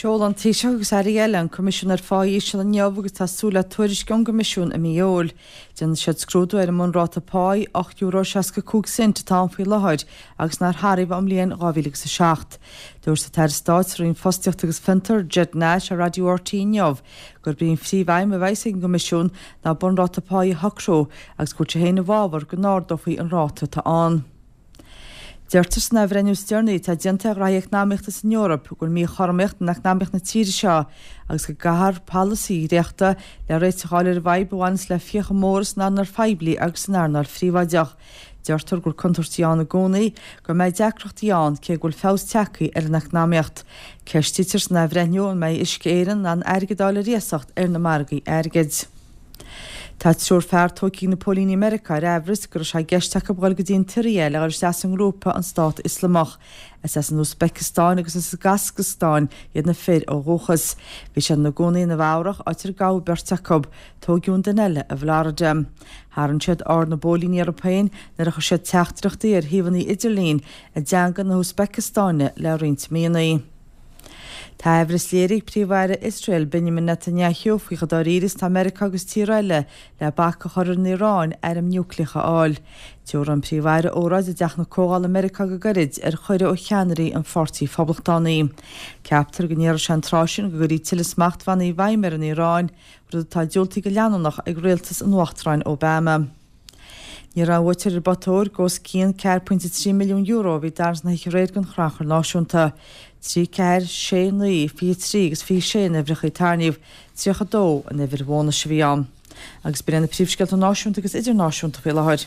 Sheol an Taoiseach agus airí eile an Coimisiún ar Phá Íseal inniu agus tá súil le tuairisc ón gCoimisiún i mí Iúil. Déanfaidh siad scrúdú ar an mbunráta páí, €8.65, atá ann faoi láthair agus nár hathraíodh ón mbliain 2007. Dúirt an tAire Stáit sa Roinn Fostaíochta agus Fiontar, Ged Nash ar Raidió RTÉ inniu gurb í an phríomhaidhm a bheas ag an gCoimisiún ná bunráta páí a shocrú agus go bhfuil sé féin i bhfabhar go n-ardófaí an ráta atá ann. Deirtear san athbhreithniú is deireanaí atá déanta ar ghraithí eacnamaíochta san Eoraip go bhfuil míchothromaíocht in eacnamaíocht na tíre seo agus go gcaithfear polasaí a dhréachtadh le réiteach a fháil ar an bhfadhb a bhaineas le fiacha móra san earnáil phoiblí agus san earnáil phríobháideach. Deirtear go bhfuil contúirtí ann i gcónaí go mbeidh deacrachtaí ann cé go bhfuil feabhas tagtha ar an eacnamaíocht. Ceistítear san athbhreithniú an mbeidh Uisce Éireann in ann airgead a fháil ar iasacht ar na margaí airgid. Tá triúr fear tógtha ag na póilíní i Meiriceá ar aimhreas go raibh sé i gceist acu dhul go dtí an tSiria le dhul isteach sa ngrúpa an Stát Ioslamach. Is as an Úisbeiceastáin agus as an gCasacstáin iad na fir ó dhúchas. Bhí siad ina gcónaí i Nua Eabhrach, áit ar gabhadh beirt acu. Tóigeadh an duine eile i bhFlorida. Tharraing siad aird na bpóilíní orthu féin nuair a chuir siad teachtaireachtaí ar shuíomhanna idirlín i dteanga na hÚisbeiceastáine le roinnt míonna. Tá aimhreas léirithe ag Príomh-Aire Iosrael, Benjamin Netanyahu, faoi chomh dáiríre is atá Meiriceá agus tíortha eile le bac a chur ar an Iaráin airm núicléacha a fháil. Tabharfaidh an Príomh-Aire óráid i dTeach na Comhdhála i Meiriceá go gairid ar chuireadh ó cheannairí an Pháirtí Phoblachtánaigh. Ceaptar go ndéarfaidh sé an tráth sin go gcuirfí tuilleadh smachtbhannaí i bhfeidhm ar an Iaráin, rud atá diúltaithe go leanúnach ag rialtas an Uachtaráin Obama. Ní raibh aon bhuaiteoir ar an bpota óir d'os cionn €4.3 milliún a bhí i dtarraingt na hoíche aréir don Chrannchur Náisiúnta. 3, 4, 6, 9, 23 agus 26 na huimhreacha a tarraingíodh, 32 an uimhir bhónais a bhí ann. Agus b'in iad na príomhscéalta náisiúnta agus idirnáisiúnta faoi láthair.